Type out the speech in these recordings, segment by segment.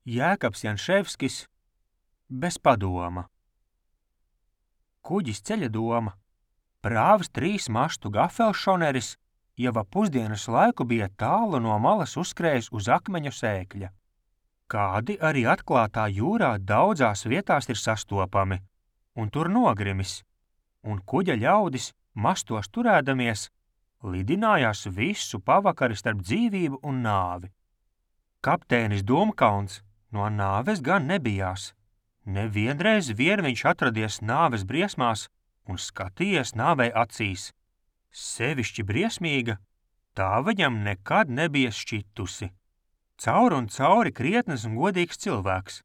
Jēkabs Janševskis bez padoma. Kuģis ceļa doma. Prāvs 3 mastu gafelšoneris jau ap pusdienas laiku bija tālu no malas uzskrējis uz akmeņu sēkļa. Kādi arī atklātā jūrā daudzās vietās ir sastopami, un tur nogrimis, un kuģa ļaudis, mastos turēdamies, lidinājās visu pavakari starp dzīvību un nāvi. Kapteinis Domkauns no nāves gan nebijās. Nevienreiz vien viņš atradies nāves briesmās un skatījies nāvei acīs. Sevišķi briesmīga, tā viņam nekad nebija šķitusi. Caur un cauri krietnes un godīgs cilvēks.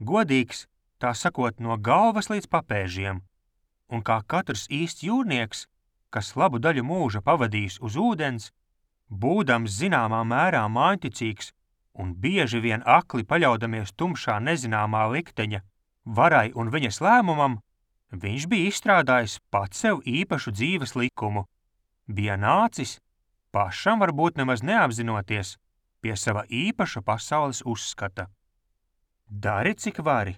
Godīgs, tā sakot, no galvas līdz papēžiem. Un kā katrs īsts jūrnieks, kas labu daļu mūža pavadījis uz ūdens, būdams zināmā mērā māņticīgs un bieži vien akli paļaudamies tumšā nezināmā likteņa varai un viņas lēmumam, viņš bija izstrādājis pats sev īpašu dzīves likumu. Bija nācis, pašam varbūt nemaz neapzinoties, pie sava īpaša pasaules uzskata. Dari, cik vari,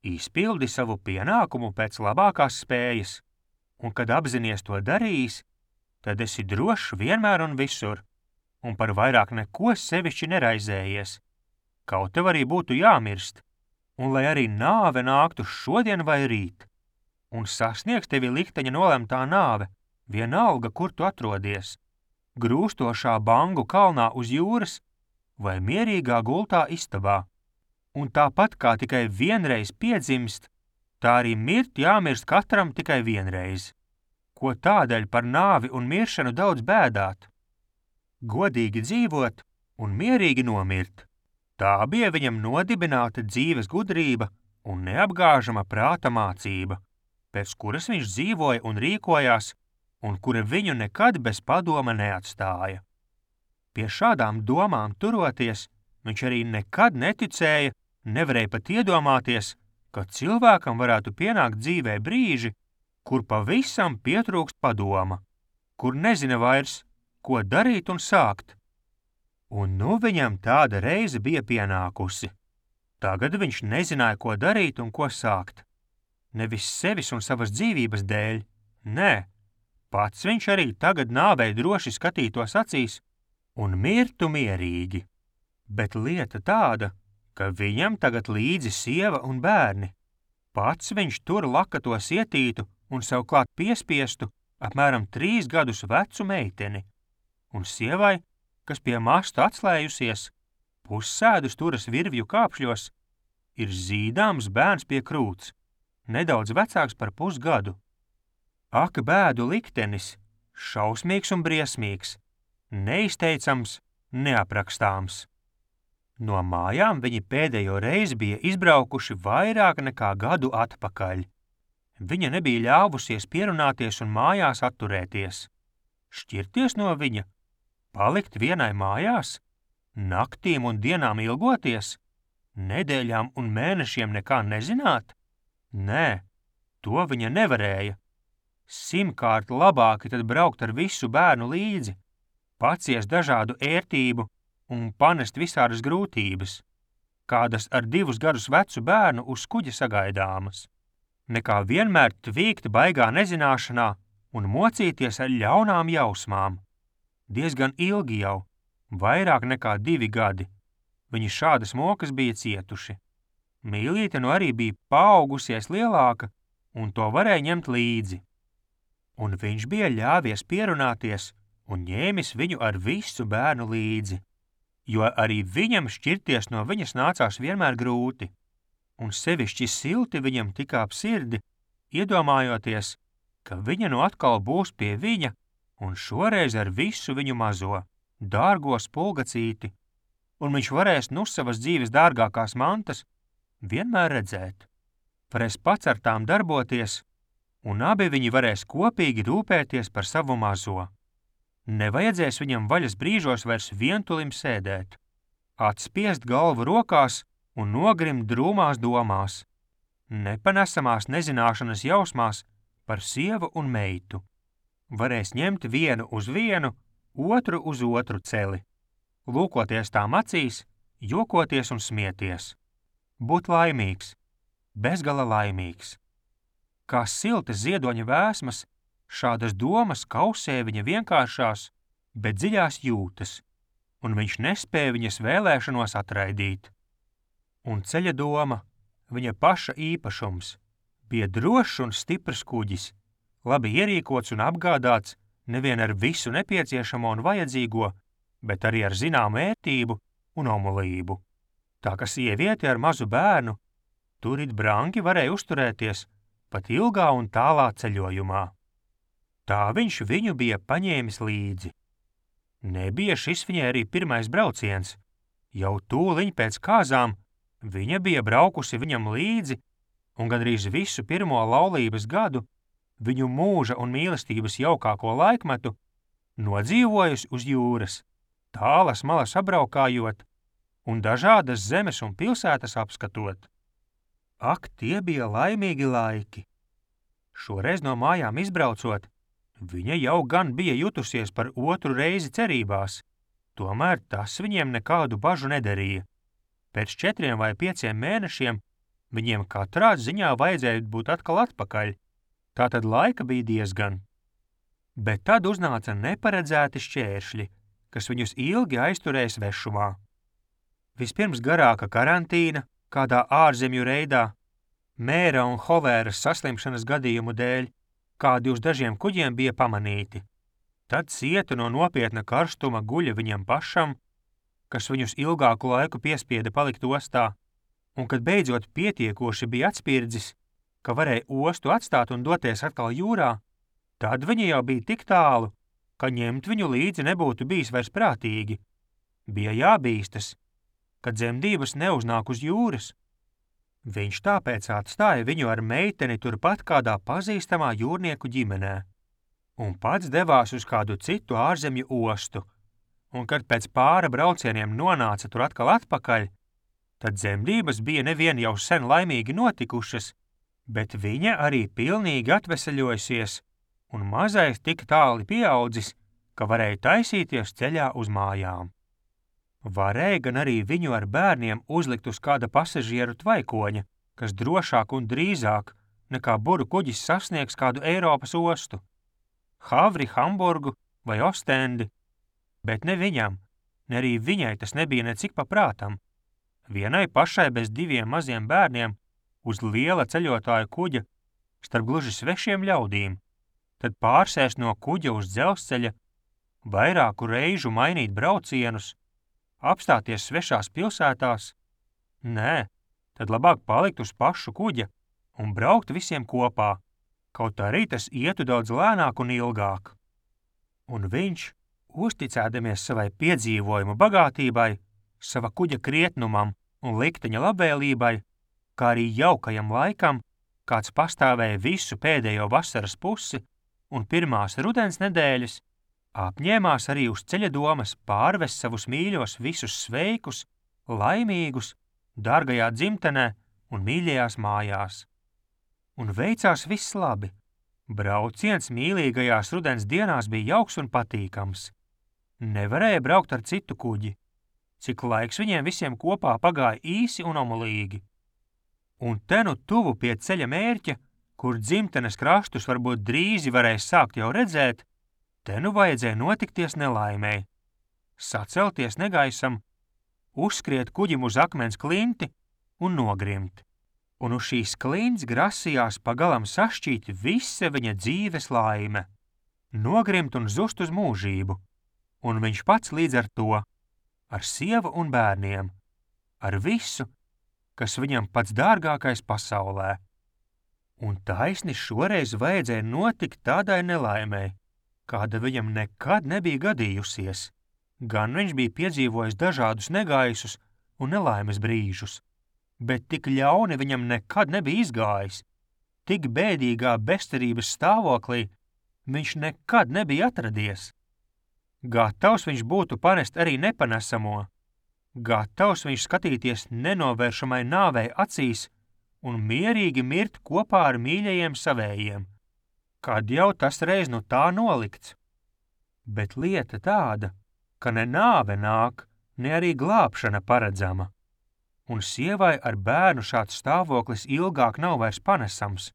izpildi savu pienākumu pēc labākās spējas, un kad apzinies to darījis, tad esi drošs vienmēr un visur, un par vairāk neko sevišķi neraizējies. Kaut tev arī būtu jāmirst, un lai arī nāve nāktu šodien vai rīt, un sasniegs tevi likteņa nolemtā nāve, vienalga, kur tu atrodies, grūstošā Bangu kalnā uz jūras vai mierīgā gultā istabā. Un tāpat kā tikai vienreiz piedzimst, tā arī mirt jāmirst katram tikai vienreiz. Ko tādēļ par nāvi un miršanu daudz bēdāt? Godīgi dzīvot un mierīgi nomirt. Tā bija viņam nodibināta dzīves gudrība un neapgāžama prāta mācība, pēc kuras viņš dzīvoja un rīkojās, un kura viņu nekad bez padoma neatstāja. Pie šādām domām turoties, viņš arī nekad neticēja, nevarēja pat iedomāties, ka cilvēkam varētu pienākt dzīvē brīži, kur pavisam pietrūkst padoma, kur nezina vairs, ko darīt un sākt. Un nu viņam tāda reize bija pienākusi. Tagad viņš nezināja, ko darīt un ko sākt. Nevis sevis un savas dzīvības dēļ, nē, pats viņš arī tagad nāvei droši skatītos acīs un mirtu mierīgi. Bet lieta tāda, ka viņam tagad līdzi sieva un bērni. Pats viņš tur lakato sietītu un sev klāt piespiestu apmēram 3 gadus vecu meiteni. Un sievai, kas pie masta atslējusies, pussēdus turas virvju kāpšļos, ir zīdāms bērns pie krūts, nedaudz vecāks par pusgadu. Ak, bēdu liktenis, šausmīgs un briesmīgs, neizteicams, neaprakstāms. No mājām viņi pēdējo reizi bija izbraukuši vairāk nekā gadu atpakaļ. Viņa nebija ļāvusies pierunāties un mājās atturēties. Šķirties no viņa? Palikt vienai mājās? Naktīm un dienām ilgoties? Nedēļām un mēnešiem nekā nezināt? Nē, to viņa nevarēja. 100 labāki tad braukt ar visu bērnu līdzi, paciest dažādu ērtību un panest visādas grūtības, kādas ar 2 gadus vecu bērnu uz kuģa sagaidāmas, nekā vienmēr tvīkt baigā nezināšanā un mocīties ar ļaunām jausmām. Diezgan ilgi jau, vairāk nekā 2 gadi, viņi šādas mokas bija cietuši. Mīlīte nu arī bija paaugusies lielāka, un to varēja ņemt līdzi. Un viņš bija ļāvies pierunāties un ņēmis viņu ar visu bērnu līdzi, jo arī viņam šķirties no viņas nācās vienmēr grūti, un sevišķi silti viņam tika ap sirdi, iedomājoties, ka viņa nu atkal būs pie viņa, un šoreiz ar visu viņu mazo, dārgo spulgacīti, un viņš varēs nu savas dzīves dārgākās mantas vienmēr redzēt. Varēs pats ar tām darboties, un abi viņi varēs kopīgi rūpēties par savu mazo. Nevajadzēs viņam vaļas brīžos vairs vientulim sēdēt, atspiest galvu rokās un nogrimt drūmās domās, nepanesamās nezināšanas jausmās par sievu un meitu. Varēs ņemt vienu uz vienu, otru uz otru celi, lūkoties tām acīs, jokoties un smieties. būt laimīgs, bezgala laimīgs. Kā siltas ziedoņa vēsmas, šādas domas kausē viņa vienkāršās, bet dziļās jūtas, un viņš nespēja viņas vēlēšanos atraidīt. Un ceļa doma, viņa paša īpašums, bija drošs un stiprs kuģis, labi ierīkots un apgādāts nevien ar visu nepieciešamo un vajadzīgo, bet arī ar zināmu ērtību un omulību. Tā ka sieviete ar mazu bērnu tur it brangi varēja uzturēties pat ilgā un tālā ceļojumā. Tā viņš viņu bija paņēmis līdzi. Nebija šis viņai arī pirmais brauciens. Jau tūliņ pēc kāzām viņa bija braukusi viņam līdzi un gandrīz visu pirmo laulības gadu, viņu mūža un mīlestības jaukāko laikmetu, nodzīvojusi uz jūras, tālas malas apbraukājot un dažādas zemes un pilsētas apskatot. Ak, tie bija laimīgi laiki! Šoreiz no mājām izbraucot, viņa jau gan bija jutusies par otru reizi cerībās, tomēr tas viņiem nekādu bažu nedarīja. Pēc 4 vai 5 mēnešiem viņiem katrā ziņā vajadzēja būt atkal atpakaļ, tātad laika bija diezgan. Bet tad uznāca neparedzēti šķēršļi, kas viņus ilgi aizturēja svešumā. Vispirms garāka karantīna, kādā ārzemju reidā, mēra un holēras saslimšanas gadījumu dēļ, kādi uz dažiem kuģiem bija pamanīti. Tad cieta no nopietna karstuma guļa viņam pašam, kas viņus ilgāku laiku piespieda palikt ostā, un kad beidzot pietiekoši bija atspirdzis, ka varēja ostu atstāt un doties atkal jūrā, tad viņi jau bija tik tālu, ka ņemt viņu līdzi nebūtu bijis vairs prātīgi. Bija jābīstas, ka dzemdības neuznāk uz jūras. Viņš tāpēc atstāja viņu ar meiteni turpat kādā pazīstamā jūrnieku ģimenē un pats devās uz kādu citu ārzemju ostu, un kad pēc pāra braucieniem nonāca tur atkal atpakaļ, tad dzemdības bija nevien jau sen laimīgi notikušas, bet viņa arī pilnīgi atveseļojusies un mazais tik tāli pieaudzis, ka varēja taisīties ceļā uz mājām. Varēja gan arī viņu ar bērniem uzlikt uz kāda pasažieru tvaikoņa, kas drošāk un drīzāk nekā buru kuģis sasniegs kādu Eiropas ostu, Havri, Hamburgu vai Ostendi, bet ne viņam, ne arī viņai tas nebija necik pa prātam. Vienai pašai bez 2 maziem bērniem uz liela ceļotāja kuģa starp gluži svešiem ļaudīm, tad pārsēst no kuģa uz dzelzceļa, vairāku reižu mainīt braucienus, apstāties svešās pilsētās. Nē, tad labāk palikt uz pašu kuģa un braukt visiem kopā, kaut arī tas ietu daudz lēnāk un ilgāk. Un viņš, uzticēdamies savai piedzīvojumu bagātībai, sava kuģa krietnumam un likteņa labvēlībai, kā arī jaukajam laikam, kāds pastāvēja visu pēdējo vasaras pusi un pirmās rudens nedēļas, apņēmās arī uz ceļa domas pārvest savus mīļos visus sveikus, laimīgus, dārgajā dzimtenē un mīļajās mājās. Un veicās viss labi. Brauciens mīlīgajās rudens dienās bija jauks un patīkams. Nevarēja braukt ar citu kuģi, cik laiks viņiem visiem kopā pagāja īsi un omulīgi. Un te nu tuvu pie ceļa mērķa, kur dzimtenes krastus varbūt drīzi varēja sākt jau redzēt, te nu vajadzēja notikties nelaimei, sacelties negaisam, uzskriet kuģim uz akmens klinti un nogrimt. Un uz šīs klints grasījās pagalam sašķīt visa viņa dzīves laime, nogrimt un zust uz mūžību, un viņš pats līdz ar to, ar sievu un bērniem, ar visu, kas viņam pats dārgākais pasaulē. Un taisni šoreiz vajadzēja notikt tādai nelaimei, kāda viņam nekad nebija gadījusies. Gan viņš bija piedzīvojis dažādus negaisus un nelaimes brīžus, bet tik ļauni viņam nekad nebija izgājis. Tik bēdīgā bezcerības stāvoklī viņš nekad nebija atradies. Gatavs viņš būtu panest arī nepanesamo. Gatavs viņš skatīties nenovēršamai nāvei acīs un mierīgi mirt kopā ar mīļajiem savējiem, kad jau tas reiz nu tā nolikts. Bet lieta tāda, ka ne nāve nāk, ne arī glābšana paredzama. un sievai ar bērnu šāds stāvoklis ilgāk nav vairs panesams.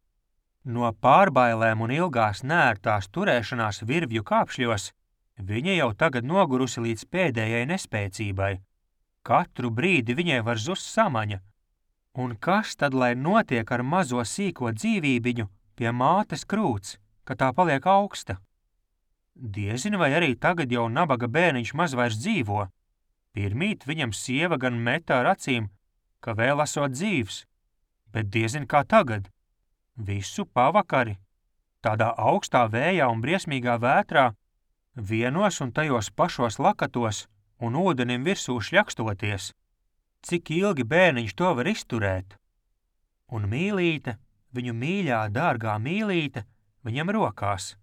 No pārbailēm un ilgās neērtās turēšanās virvju kāpšļos viņa jau tagad nogurusi līdz pēdējai nespēcībai. Katru brīdi viņai var zust samaņa. Un kas tad, lai notiek ar mazo sīko dzīvībiņu pie mātes krūts, ka tā paliek augsta? Diezin vai arī tagad jau nabaga bērniņš maz vairs dzīvo. Pirmīt viņam sieva gan meta ar acīm, ka vēl esot dzīvs, bet diezin kā tagad. Visu pavakari, tādā augstā vējā un briesmīgā vētrā, vienos un tajos pašos lakatos un ūdenim virsū šļakstoties. Cik ilgi bērniņš to var izturēt? Un mīlīte, viņu mīļā, dārgā mīlīte, viņam rokās.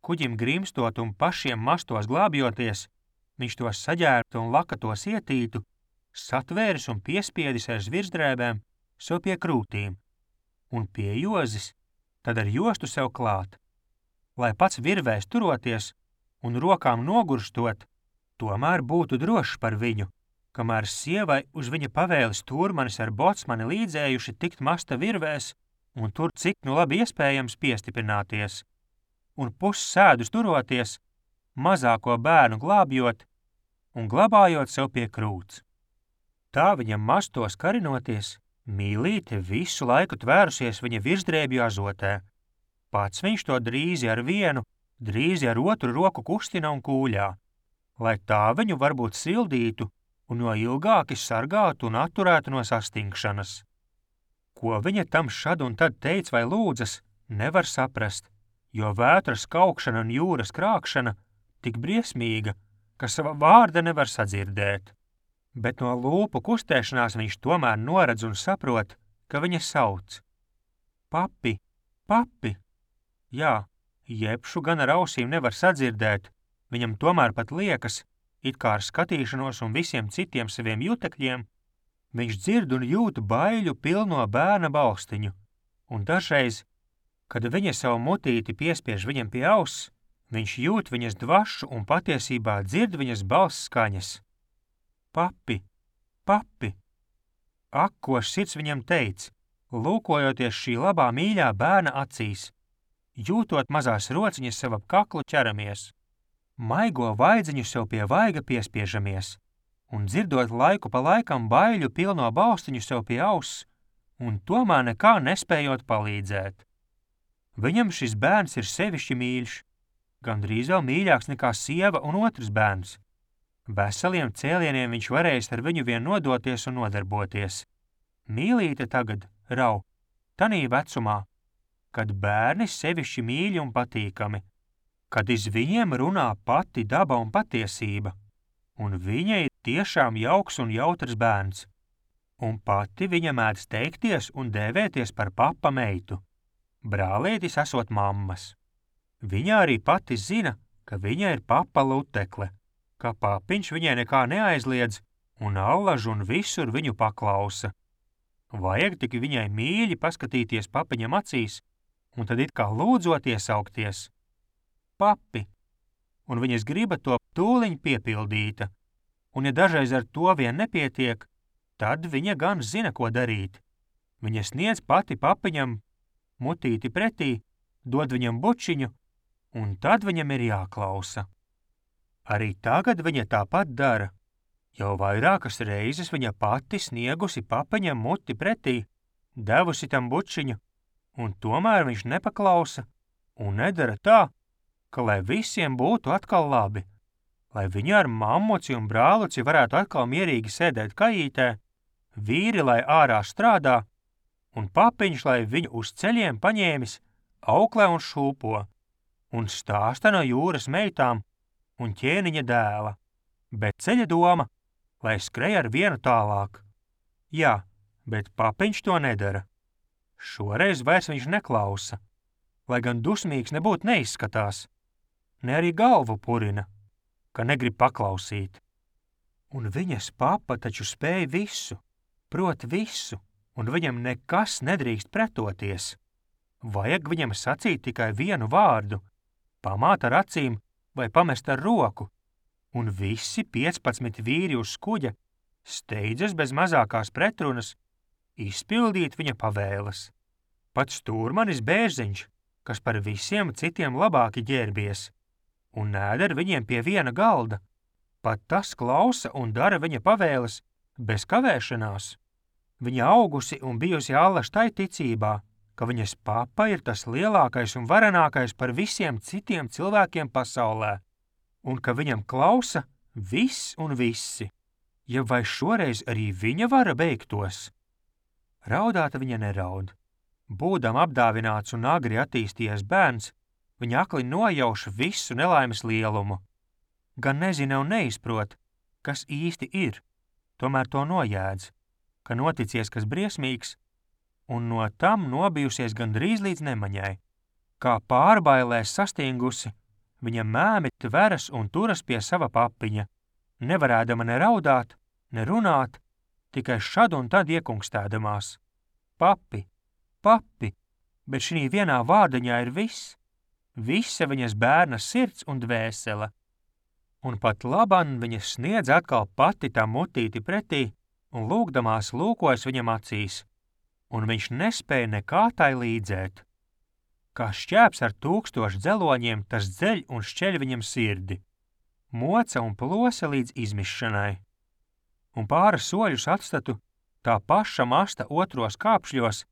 Kuģim grimstot un pašiem mastos glābjoties, viņš tos saģērbtu un lakatos ietītu, satvēris un piespiedis ar virsdrēbēm sev pie krūtīm. Un pie jozis, tad ar jostu sev klāt. Lai pats virvēs turoties un rokām nogurstot, tomēr būtu drošs par viņu, kamēr sievai uz viņa pavēles turmanis ar bocmani līdzējuši tikt masta virvēs un tur cik nu labi iespējams piestiprināties. Un pussēdus turoties, mazāko bērnu glābjot un glabājot sev pie krūts. Tā viņam mastos karinoties, mīlīte visu laiku tvērusies viņa virsdrēbju azotē. Pats viņš to drīzi ar vienu, drīzi ar otru roku kustina un kūļā, lai tā viņu varbūt sildītu un no ilgāki sargātu un atturētu no sastingšanas. Ko viņa tam šad un tad teica vai lūdzas, nevar saprast, jo vētras kaukšana un jūras krākšana tik briesmīga, ka sava vārda nevar sadzirdēt. Bet no lūpu kustēšanās viņš tomēr noredz un saprot, ka viņa sauc. Papi, papi! Jā, jebšu gan ar ausīm nevar sadzirdēt, viņam tomēr pat liekas, it kā ar skatīšanos un visiem citiem saviem jutekļiem, viņš dzird un jūt baiļu pilno bērna balstiņu, un dažreiz, kad viņa savu mutīti piespiež viņam pie auss, viņš jūt viņas dvašu un patiesībā dzird viņas balss skaņas. Papi, papi! Ak, ko sirds viņam teica, lūkojoties šī labā mīļā bērna acīs, jūtot mazās rociņas sev ap kaklu ķeramies, maigo vaidziņu sev pie vaiga piespiežamies un dzirdot laiku pa laikam baiļu pilno balstiņu sev pie auss un tomēr nekā nespējot palīdzēt. Viņam šis bērns ir sevišķi mīļš, gandrīz vēl mīļāks nekā sieva un otrs bērns. Veseliem cēlieniem viņš varējis ar viņu vien nodoties un nodarboties. Mīlīte tagad rau, tanī vecumā, kad bērni sevišķi mīļi un patīkami, kad iz viņiem runā pati daba un patiesība, un viņa ir tiešām jauks un jautrs bērns, un pati viņa mēdz teikties un dēvēties par papa meitu. Brālītis esot mammas. Viņa arī pati zina, ka viņa ir papa lutekle, ka papiņš viņai nekā neaizliedz un allaž un visur viņu paklausa. Vajag tik viņai mīļi paskatīties papiņam acīs un tad it kā lūdzot iesaukties. Papi! Un viņas griba to tūliņ piepildīta, un ja dažreiz ar to vien nepietiek, tad viņa gan zina, ko darīt. Viņa sniedz pati papiņam mutīti pretī, dod viņam bučiņu, un tad viņam ir jāklausa. Arī tagad viņa tāpat dara. Jau vairākas reizes viņa pati sniegusi papiņam muti pretī, devusi tam bučiņu, un tomēr viņš nepaklausa un nedara tā, ka lai visiem būtu atkal labi, lai viņa ar mammuci un brāluci varētu atkal mierīgi sēdēt kajītē, vīri lai ārā strādā, un papiņš lai viņu uz ceļiem paņēmis, auklē un šūpo, un stāsta no jūras meitām un ķēniņa dēla, bet ceļa doma, lai skrej ar vienu tālāk. Jā, bet papiņš to nedara. Šoreiz vairs viņš neklausa, lai gan dusmīgs nebūt neizskatās, ne arī galvu purina, ka negrib paklausīt. Un viņas papa taču spēj visu, prot visu, un viņam nekas nedrīkst pretoties. Vajag viņam sacīt tikai vienu vārdu, pamāt ar acīm vai pamest ar roku, un visi 15 vīri uz kuģa steidzas bez mazākās pretrunas izpildīt viņa pavēles. Pat stūrmanis Bērziņš, kas par visiem citiem labāki ģērbies, un ēd ar viņiem pie viena galda, pat tas klausa un dara viņa pavēles bez kavēšanās. Viņa augusi un bijusi allaž tai ticībā, ka viņas papa ir tas lielākais un varenākais par visiem citiem cilvēkiem pasaulē, un ka viņam klausa viss un visi. Ja vai šoreiz arī viņa vara beigtos? Raudāt viņa neraud. Būdam apdāvināts un agri attīstījies bērns, viņa akli nojauš visu nelaimes lielumu. Gan nezina un neizprot, kas īsti ir, tomēr to nojēdz, ka noticies kas briesmīgs, un no tam nobijusies gandrīz līdz nemaņai. Kā pārbailēs sastingusi, viņa mēmi tveras un turas pie sava papiņa, nevarēdama ne raudāt, ne runāt, tikai šad un tad iekungstēdamās. Papi, papi, bet šī vienā vārdiņā ir viss, visa viņas bērna sirds un dvēsele. Un pat laban viņa sniedz atkal pati tā mutīti pretī un lūgdamās lūkojas viņam acīs, un viņš nespēja nekā tai līdzēt. Kā šķēps ar 1000 dzeloņiem, tas dzeļ un šķeļ viņam sirdi, moca un plosa līdz izmišanai. Un pāris soļus atstatu, tā paša masta otros kāpšļos,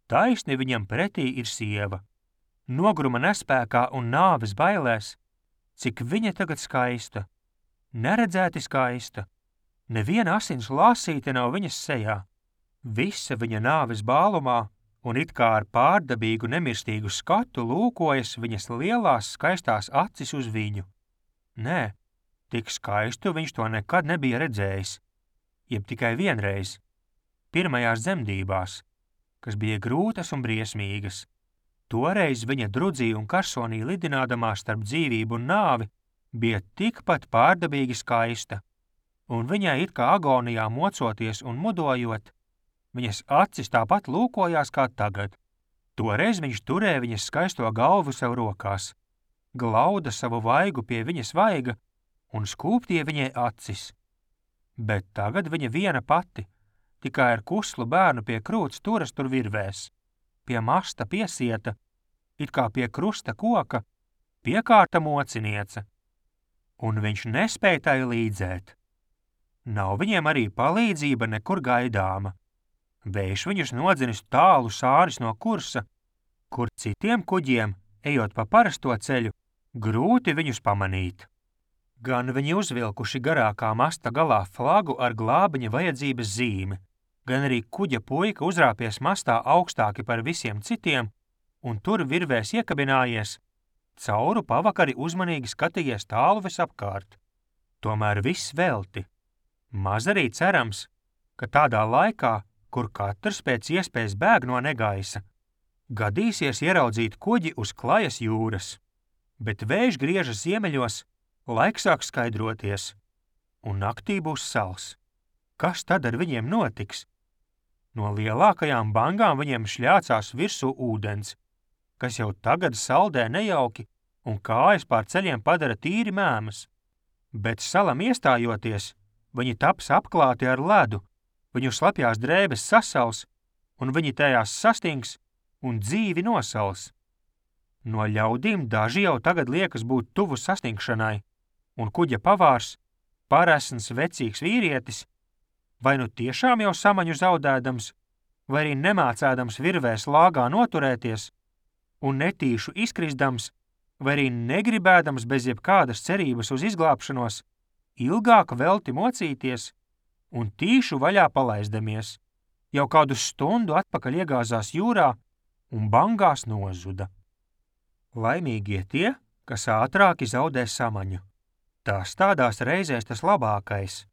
taisni viņam pretī ir sieva. Nogruma nespēkā un nāves bailēs, cik viņa tagad skaista, neredzēti skaista. Neviena asins lāsīte nav viņas sejā. Visa viņa nāves bālumā un it kā ar pārdabīgu nemirstīgu skatu lūkojas viņas lielās skaistās acis uz viņu. Nē, tik skaistu viņš to nekad nebija redzējis, jeb tikai vienreiz, pirmajās dzemdībās, kas bija grūtas un briesmīgas. Toreiz viņa drudzī un karsonī lidinādamā starp dzīvību un nāvi bija tikpat pārdabīgi skaista, un viņai it kā agonijā mocoties un mudojot, viņas acis tāpat lūkojās kā tagad. Toreiz viņš turēja viņas skaisto galvu sev rokās, glauda savu vaigu pie viņas vaiga un skūptie viņai acis. Bet tagad viņa viena pati, tikai ar kuslu bērnu pie krūts turas tur virvēs, pie masta piesieta, it kā pie krusta koka, piekārta mociniece, un viņš nespēja tai līdzēt. Nav viņiem arī palīdzība nekur gaidāma. Vējš viņus nodzinis tālu sāris no kursa, kur citiem kuģiem, ejot pa parasto ceļu, grūti viņus pamanīt. Gan viņi uzvilkuši garākā masta galā flagu ar glābiņa vajadzības zīmi, gan arī kuģa puika uzrāpies mastā augstāki par visiem citiem, un tur virvēs iekabinājies, cauru pavakari uzmanīgi skatījies tālu visapkārt. Tomēr viss velti. Maz arī cerams, ka tādā laikā, kur katrs pēc iespējas bēg no negaisa, gadīsies ieraudzīt kuģi uz klajas jūras, bet vējš griežas ziemeļos, laiks sāk skaidroties, un naktī būs sals. Kas tad ar viņiem notiks? No lielākajām bangām viņiem šļācās virsū ūdens, kas jau tagad saldē nejauki un kājas pār ceļiem padara tīri mēmas, bet salam iestājoties, viņi taps apklāti ar ledu, viņu slapjās drēbes sasals, un viņi tajās sastings un dzīvi nosals. No ļaudīm daži jau tagad liekas būt tuvu sastingšanai, un kuģa pavārs, paresns vecīgs vīrietis, vai nu tiešām jau samaņu zaudēdams, vai arī nemācēdams virvēs lāgā noturēties, un netīšu izkrisdams, vai arī negribēdams bez jebkādas cerības uz izglābšanos, ilgāk velti mocīties un tīšu vaļā palaizdamies, jau kādu stundu atpakaļ iegāzās jūrā un bangās nozuda. Laimīgie tie, kas ātrāki zaudē samaņu. Tas tādās reizēs tas labākais.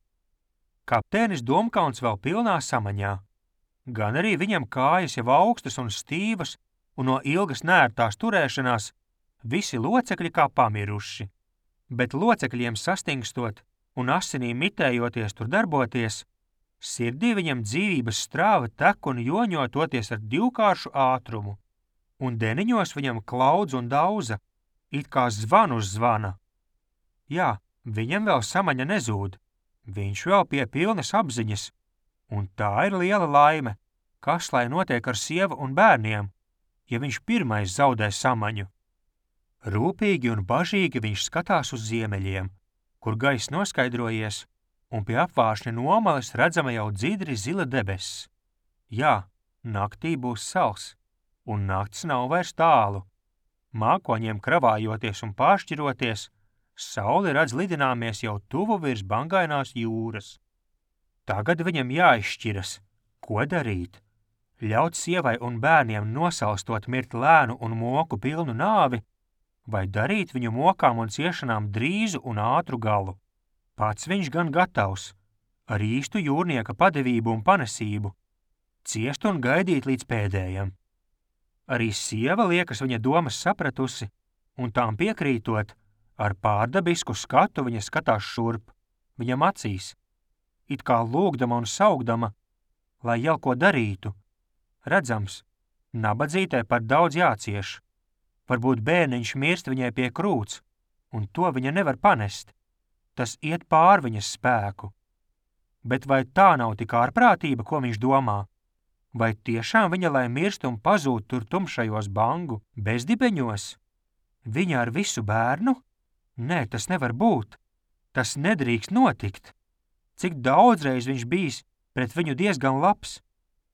Kapteinis Domkauns vēl pilnā samaņā. Gan arī viņam kājas jau augstas un stīvas, un no ilgas nērtās turēšanās visi locekļi kā pamiruši. Bet locekļiem sastingstot un asinīm mitējoties tur darboties, sirdī viņam dzīvības strāva tek un joņo toties ar divkāršu ātrumu, un deniņos viņam klaudz un dauza, it kā zvanu uz zvana. Jā, viņam vēl samaņa nezūd, Viņš vēl pie pilnas apziņas, un tā ir liela laime, kas lai notiek ar sievu un bērniem, ja viņš pirmais zaudē samaņu. Rūpīgi un bažīgi viņš skatās uz ziemeļiem, kur gaiss noskaidrojies, un pie apvāršņa nomales redzama jau dzidri zila debesis. Jā, naktī būs sals, un nakts nav vairs tālu. Mākoņiem kravājoties un pāršķiroties, saule redz lidināmies jau tuvu virs bangainās jūras. Tagad viņam jāizšķiras, ko darīt. Ļaut sievai un bērniem nosalstot mirt lēnu un moku pilnu nāvi, vai darīt viņu mokām un ciešanām drīzu un ātru galu. Pats viņš gan gatavs, ar īstu jūrnieka padevību un panesību, ciest un gaidīt līdz pēdējam. Arī sieva liekas viņa domas sapratusi, un tām piekrītot, ar pārdabisku skatu viņa skatās šurp, viņam acīs, it kā lūgdama un saugdama, lai jau ko darītu. Redzams, nabadzītē par daudz jācieš. Varbūt bērniņš mirst viņai pie krūts, un to viņa nevar panest. Tas iet pār viņas spēku. Bet vai tā nav tik ārprātība, ko viņš domā? Vai tiešām viņa lai mirst un pazūd tur tumšajos bangu bezdibeņos? Viņa ar visu bērnu? Nē, tas nevar būt. Tas nedrīkst notikt. Cik daudzreiz viņš bijis pret viņu diezgan labs.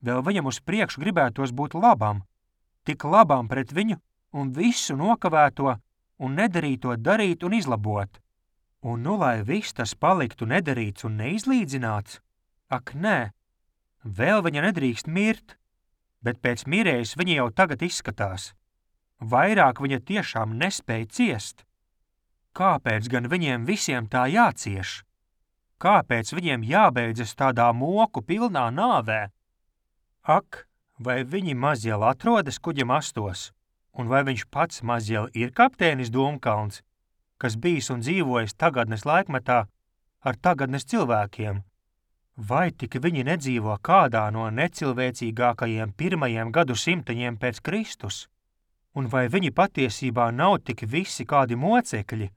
Vēl viņam uz priekšu gribētos būt labam. Tik labam pret viņu un visu nokavēto un nedarīto darīt un izlabot. Un nu lai viss tas paliktu nedarīts un neizlīdzināts? Ak, nē, vēl viņa nedrīkst mirt, bet pēc mirējas viņa jau tagad izskatās. Vairāk viņa tiešām nespēja ciest. Kāpēc gan viņiem visiem tā jācieš? Kāpēc viņiem jābeidzas tādā moku pilnā nāvē? Ak, vai viņi mazjēl atrodas kuģa mastos, un vai viņš pats mazjēl ir kapteinis Dūmkalns, kas bijis un dzīvojis tagadnes laikmetā ar tagadnes cilvēkiem? Vai tik viņi nedzīvo kādā no necilvēcīgākajiem pirmajiem gadsimtaņiem pēc Kristus? Un vai viņi patiesībā nav tik visi kādi mocekļi,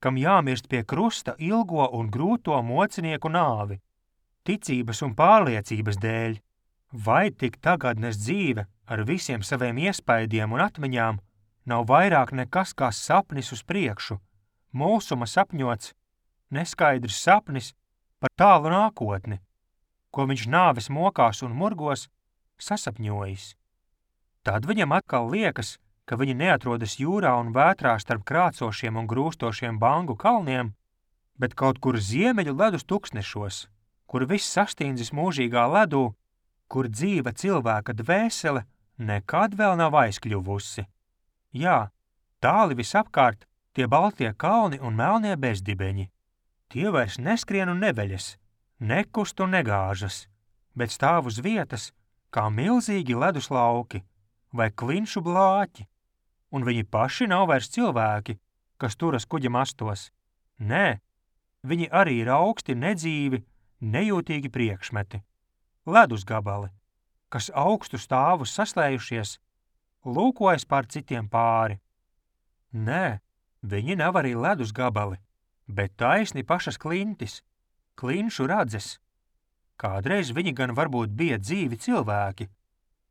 kam jāmirst pie krusta ilgo un grūto mocinieku nāvi, ticības un pārliecības dēļ? Vai tik tagadnes dzīve ar visiem saviem iespaidiem un atmiņām nav vairāk nekas kā sapnis uz priekšu, mulsuma sapņots, neskaidrs sapnis par tālu nākotni, ko viņš nāves mokās un murgos sasapņojis? Tad viņam atkal liekas, ka viņi neatrodas jūrā un vētrā starp krācošiem un grūstošiem bangu kalniem, bet kaut kur ziemeļu ledus tuksnešos, kur viss sastīndzis mūžīgā ledū, kur dzīva cilvēka dvēsele nekad vēl nav aizkļuvusi. Jā, tāli visapkārt tie baltie kalni un melnie bezdibeņi. Tie vairs neskrien un neveļas, nekust un negāžas, bet stāv uz vietas kā milzīgi ledus lauki vai klinšu blāķi, un viņi paši nav vairs cilvēki, kas turas kuģa mastos. Nē, viņi arī ir augsti, nedzīvi, nejūtīgi priekšmeti. Ledus gabali, kas augstu stāvus saslējušies, lūkojas pār citiem pāri. Nē, viņi nav arī ledus gabali, bet taisni pašas klintis, klinšu radzes. Kādreiz viņi gan varbūt bija dzīvi cilvēki,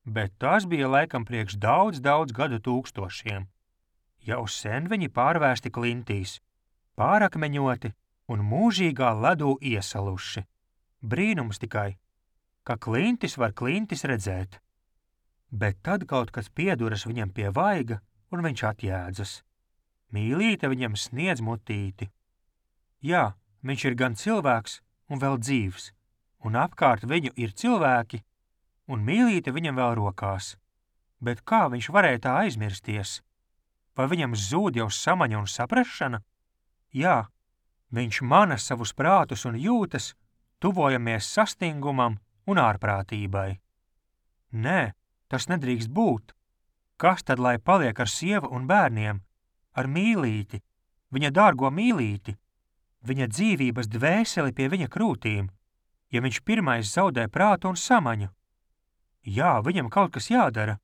bet tas bija laikam priekš daudz gadu tūkstošiem. Jau sen viņi pārvērsti klintīs, pārakmeņoti un mūžīgā ledū iesaluši. Brīnums tikai, ka klintis var klintis redzēt. Bet tad kaut kas pieduras viņam pie vaiga, un viņš atjēdzas. Mīlīte viņam sniedz mutīti. Jā, viņš ir gan cilvēks un vēl dzīvs, un apkārt viņu ir cilvēki, un mīlīte viņam vēl rokās. Bet kā viņš varēja tā aizmirsties? Vai viņam zūd jau samaņa un saprašana? Jā, viņš mana savus prātus un jūtas, tuvojamies sastingumam un ārprātībai. Nē, tas nedrīkst būt. Kas tad lai paliek ar sievu un bērniem, ar mīlīti, viņa dārgo mīlīti, viņa dzīvības dvēseli pie viņa krūtīm, ja viņš pirmais zaudē prātu un samaņu? Jā, viņam kaut kas jādara.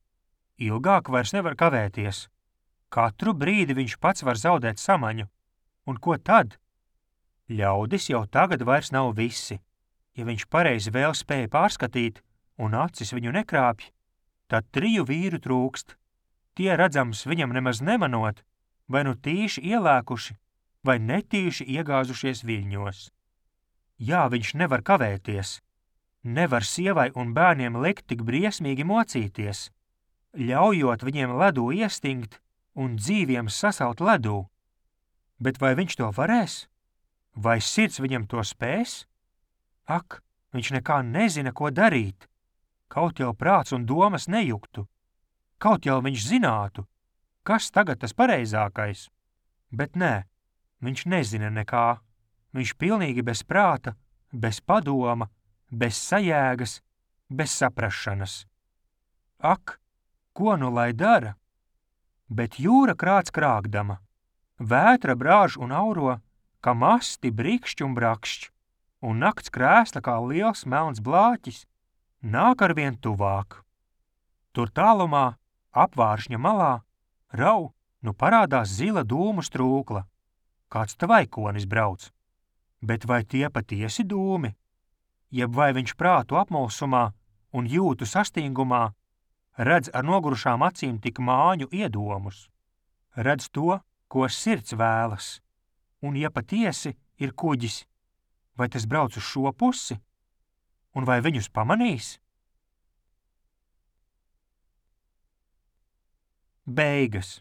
Ilgāk vairs nevar kavēties. Katru brīdi viņš pats var zaudēt samaņu. Un ko tad? Ļaudis jau tagad vairs nav visi. Ja viņš pareizi vēl spēja pārskatīt un acis viņu nekrāpj, tad 3 vīru trūkst. Tie redzams viņam nemaz nemanot, vai nu tīši ielēkuši, vai netīši iegāzušies viļņos. Jā, viņš nevar kavēties. Nevar sievai un bērniem likt tik briesmīgi mocīties, ļaujot viņiem ledū iestingt un dzīviem sasalt ledū. Bet vai viņš to varēs? Vai sirds viņam to spēs? Ak, viņš nekā nezina, ko darīt. Kaut jau prāts un domas nejuktu. Kaut jau viņš zinātu, kas tagad tas pareizākais. Bet nē, viņš nezina nekā. Viņš pilnīgi bez prāta, bez padoma, bez sajēgas, bez saprašanas. Ak, ko nu lai dara? Bet jūra krāc krākdama. Vētra brāž un auro, ka masti brikšķ un brakšķ, un nakts krēsla kā liels melns blāķis nāk arvien tuvāk. Tur tālumā, apvāršņa malā, rau, nu parādās zila dūmu strūkla. Kāds tvaikonis brauc. Bet vai tie patiesi dūmi? Jeb vai viņš prātu apmulsumā un jūtu sastingumā redz ar nogurušām acīm tik māņu iedomus? Redz to, ko sirds vēlas. Un ja patiesi ir kuģis, vai tas brauc uz šo pusi? Un vai viņus pamanīs? Beigas.